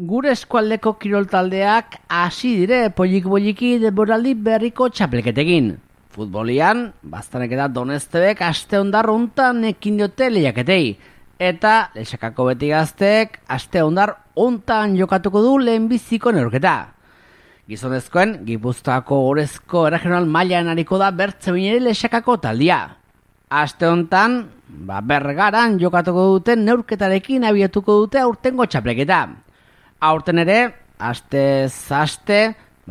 Gure eskualdeko kirol taldeak hasi dire polik-poliki denboraldi berriko txapelketekin. Futbolian, Baztanek eta Donestebek aste hondar hontan ekin diote lehiaketei. Eta Lexakako Beti Gazteek aste hondar hontan jokatuko du lehenbiziko neurketa. Gizonezkoen, Gipuzkoako Orezko Erregional mailan ariko da Bertzemineri Lexakako taldia. Aste hontan, Bergaran jokatuko duten neurketarekin abiatuko dute aurtengo txapelketa. Aurten ere, aste,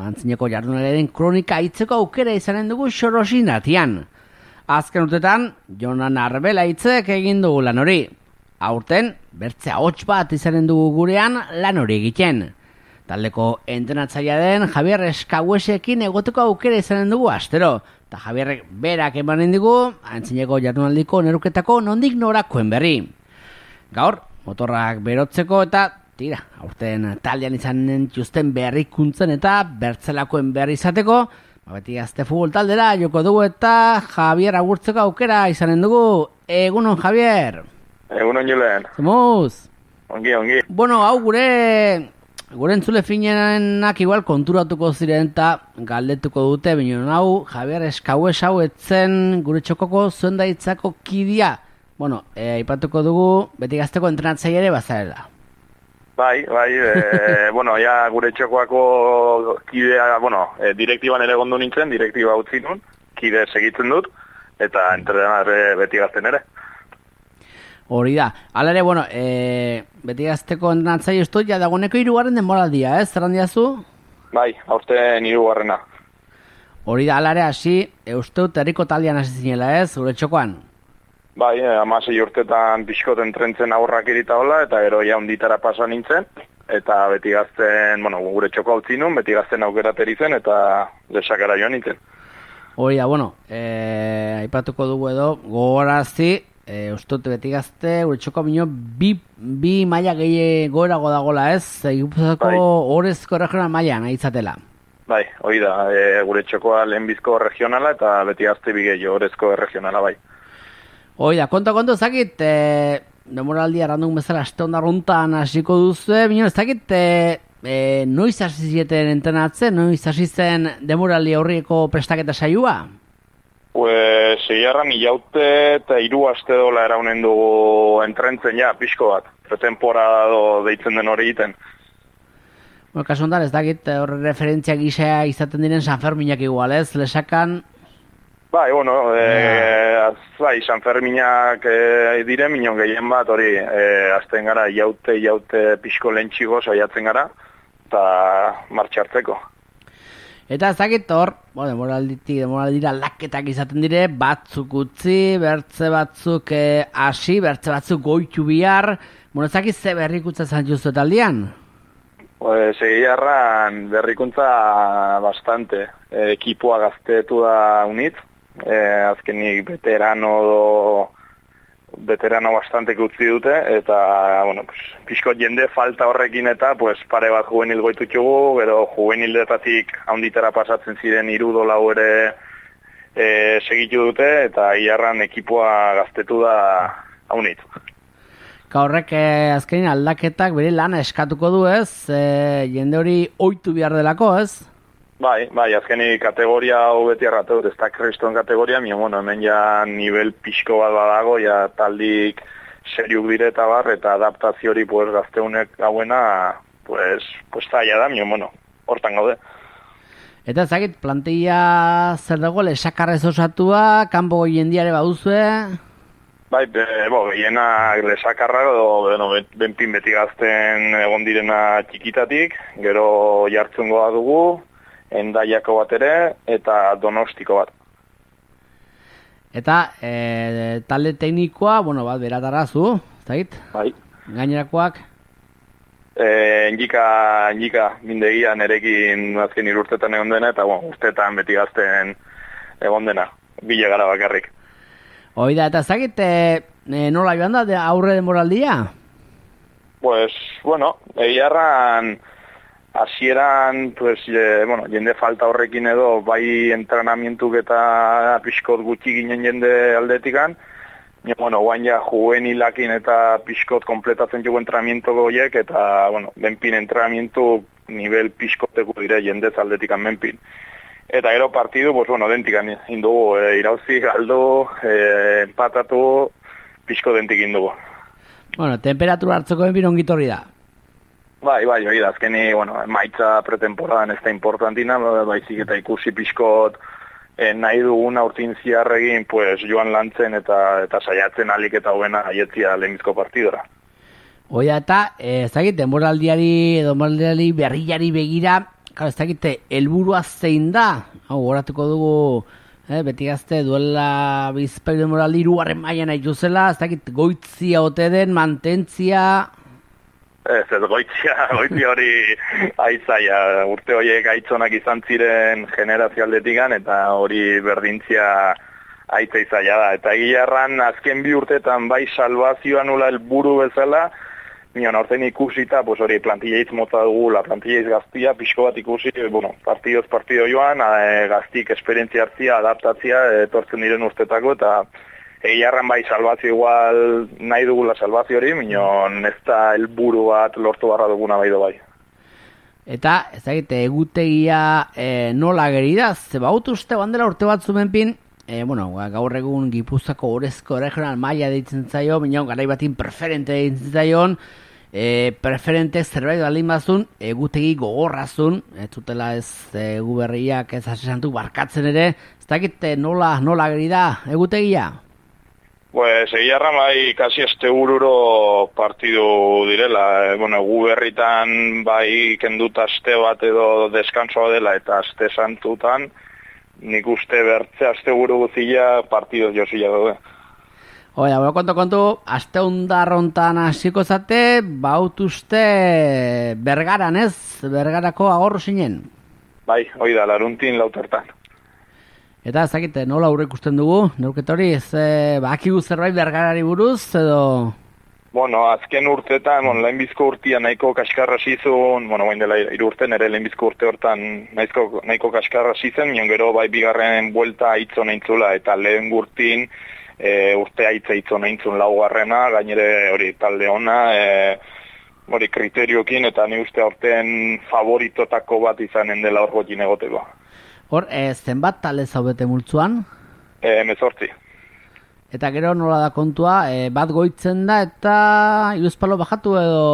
Antzineko jardunaren kronika hitzeko aukera izanen dugu Xorosin atian. Azken urtetan, Jonan Arbela hitzek egin dugu lan hori. Aurten, bertze ahots bat izanen dugu gurean lan hori egiten. Taldeko entrenatzailea den Javier Eskauesekin egoteko aukera izanen dugu astero. Eta Javierrek berak emanen digu, Antzineko jardunaldiko neruketako nondik norakoen berri. Gaur, motorrak berotzeko eta tira, aurten taldean izanen txusten berrikuntzen eta bertzelakoen berri izateko, Beti Gazte futbol taldera joko dugu eta Javier agurtzeko aukera izanen dugu. Egunon, Javier. Egunon, Julen. Zemuz? Ongi. Bueno, hau gure entzule finenak igual konturatuko ziren eta galdetuko dute, binen hau Javier Eskaues hau etzen gure txokoko zuen daitzako kidia. Bueno, aipatuko dugu Beti Gazteko entrenatzaile ere bazarela. Bai, bueno, ja gure txokoako kidea, direktiban ere gondo nintzen, direktiba utzi nun, kide segitzen dut, eta entrenare Beti Gazten ere. Hori da. Hala ere, bueno, Beti Gazteko entrenatzaile ustut, ja dagoeneko 3. denboraldia, zer handiazu? Bai, aurten 3. Hori da, hala ere, hasi, usteut herriko taldean hasi zinela, gure txokoan? Bai, 16 urtetan pixkot entrentzen aurrak irita hola, eta gero ja onditara pasa nintzen, eta Beti Gazten, gure txoko utzi nun, Beti Gazten aukerateri zen, eta Lexakara joan nintzen. Hori da, aipatuko dugu edo, gogorazi, uste Beti Gazte, gure txoko minio, bi maila gehi goerago dagoela Gipuzkoako Orezko Erregional mailan izatela. Bai, hori da, gure txokoa lehenbizko regionala, eta Beti Gazte bigei Orezko Erregionala, bai. Hoi da, konto, ezakit, demoraldia randun bezala aste hondarruntan hasiko duzu, bino ezakit, noiz hasi zieten entrenatzen, noiz hasi zen demoraldi aurriko prestaketa saioa? Segiarran hilaute eta 3 aste dola eraunen dugu entrentzen pixko bat, pretemporada deitzen den hori egiten. Kasu hontan, ez dakit, horre referentzia gisa izaten diren San Ferminak igual, Lexakan. Bai, San Ferminak dire, minon gehien bat, hori, azten gara, jaute pixko lentxigo saiatzen gara, eta martxartzeko. Eta ezakit hor, demoraldira laketak izaten dire, batzuk utzi, bertze batzuk hasi, bertze batzuk goitu bihar, ezakit ze berrikuntza zantzuzu eta aldian? Segiarran berrikuntza bastante, ekipoa gaztetu da unitz, azkenik veterano bastante utzi dute, eta, pixko jende falta horrekin eta, pare bat juvenil goitutxugu, gero juvenildetatik haunditara pasatzen ziren 3 lau ere segitu dute, eta iarran ekipoa gaztetu da haunit. Horrek azkenin aldaketak bere lana eskatuko du, jende hori ohitu behar delako, Bai, azkeni kategoria hau beti erratu, ez da kriston kategoria, hemen ja nivel pixko bat badago, ja taldik seriuk dire eta bar, eta adaptazio hori gazteunek gauena, zaila da, hortan gaude. Eta ezagit, plantilla zer dago, Lexakarrez osatua, kanpo jendiare baduzue? Bai, gehienak Lexakarra, benpin Beti Gazten egon direna txikitatik, gero jartzungoa dugu, Endaiako bat ere, eta Donostiko bat. Eta talde teknikoa, bat beratarazu, zait? Bai. Gainerakoak? Endika, mindegia nerekin azken 3 urtetan egon dena, eta urtetan Beti Gazten egon dena, bile gara bakarrik. Hoi da, eta zagit, nola joan da aurre denboraldia? Egiarran hasieran, jende falta horrekin edo, bai entrenamientuk eta pixkot gutxi ginen jende aldetikan, Bueno, guain ja juvenilakin eta pixkot kompletatzen jugu entrenamiento goiek, eta, bueno, benpin entrenamiento nivel pixkoteko dire jendez aldetikan menpin. Eta gero partidu, pues, bueno, dentikan indugu, irauzi, galdo, empatatu, pixko dentik indugu. Bueno, temperatura hartzeko benpin ongitorri da. Bai, hori da, azkeni, bueno, maitza pretemporadan ez da importantina, baizik eta ikusi pixkot nahi dugun aurtin ziarregin, pues, joan lantzen eta saiatzen alik eta hoena aietzia lehenbizko partidora. Oia eta, ez dakit, denboraldiari berriari begira, ez dakit, helburua zein da? Hau, horatuko dugu, beti gazte, duela bizpaik denboraldi 3. mailan nahi juzela, ez dakit, goitzia ote den, mantentzia... Ez goitzia hori aitzaia, urte horiek aitzonak izan ziren generazio aldetikan, eta hori berdintzia aitza izaia da. Eta egiarran azken 2 urtetan bai salvazioa nula helburu bezala, nion aurten ikusita, pues hori plantilla mota dugu, la plantilla gaztia, pixko bat ikusi, bueno, partido joan, gaztik esperientzia hartzia, adaptatzia, etortzen diren urtetako, eta egiarran bai salvazio igual nahi dugula salvazio hori, minon ez da helburu bat lortu barra duguna bai. Eta, ez dakit, egutegia nola geridaz, zeba uste bandela urte bat zumenpin, gaur egun Gipuzkoako Orezko regional maila deitzen zaio, minon garai batin preferente deitzen zaion, preferente zerbait baldin bazun, egutegi gogorrazun, ez zutela ez egu berriak ez asesantu barkatzen ere, ez dakit nola gerida egutegia? Pues egiarra bai kasi astebururo partidu direla, gu berritan bai kendut aste bat edo deskansoa dela eta aste santutan, nik uste bertze asteburu guzila partidu josila daude. Oia, kontu, aste hundarrontan hasiko zate, bautuzte Bergaran ez? Bergarako agorro zinen? Bai, hoi da, laruntin lautertan. Eta ezakite, nola aurre ikusten dugu, neurketa hori, bakigu zerbait Bergarari buruz, edo... Bueno, azken urtetan, lehenbizko urtia nahiko kaskarra zizun, bain dela 3 urte, nire lehenbizko urte hortan nahiko kaskarra zizen, mion gero bai bigarren buelta aitzon eintzula, eta lehen urtin urte aitza aitzon eintzun laugarrena, gainere hori talde ona, hori kriteriokin, eta ni uste aurten favoritotako bat izanen dela hor gotin egoteko. Hor, zenbat talde zaudete multzuan? 18. Eta gero nola da kontua, bat goitzen da eta iruzpalo bajatu edo...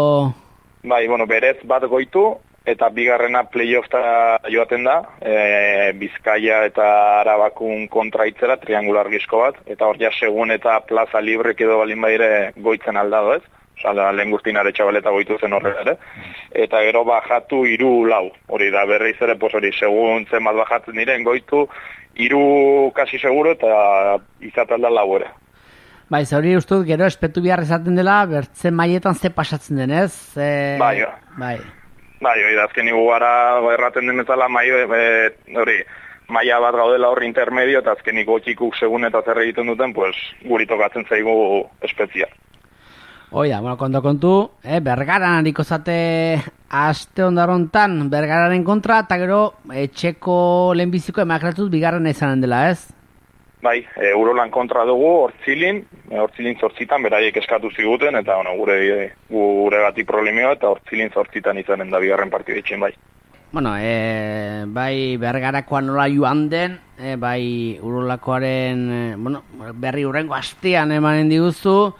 Bai, berez bat goitu eta bigarrena playoffta joaten da, Bizkaia eta Arabakun kontraitzera, triangular gizko bat, eta hor ja segun eta plaza librek edo balin baire goitzen aldado ez. Osa, lehen guztin aretxabaleta goitu zen horrela ere. Eta gero bajatu 3-4. Hori da berriz ere, hori segun zenbat bajatzen diren goitu, 3 kasi seguro eta izaten da 4 ere. Bai, hori ustut gero espetu behar esaten dela, bertzen maietan ze pasatzen denez? Bai, hori da, azken igu gara erraten den bezala hori, maia bat gaudela horri intermedio, eta azken ikotxikuk segun eta zer egiten duten, pues, guri tokatzen zaigu espetzia. Oia, kontu, Bergaran hariko zate aste ondarontan Bergararen kontra, eta gero etxeko lehenbiziko emakratuz bigarren izanen dela, ez? Bai, Urolan kontra dugu, Hortzilin 8 beraiek eskatu ziguten, eta gure gati problemioa, eta Hortzilin 8 izanen da bigarren partidu etxen, bai. Bai Bergarakoan nola joan den, bai Urolakoaren, berri hurrengo astean emanen diguzu,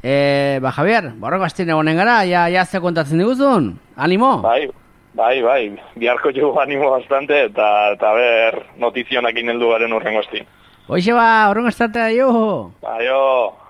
Javier, borroko astien egonen gara, ja ze kontatzen diguzun? Animo? Bai, biharko jugu animo bastante, eta ber notizionak ineldu garen hurrengo astien. Hoxe horrengo astatea, jo! Aio!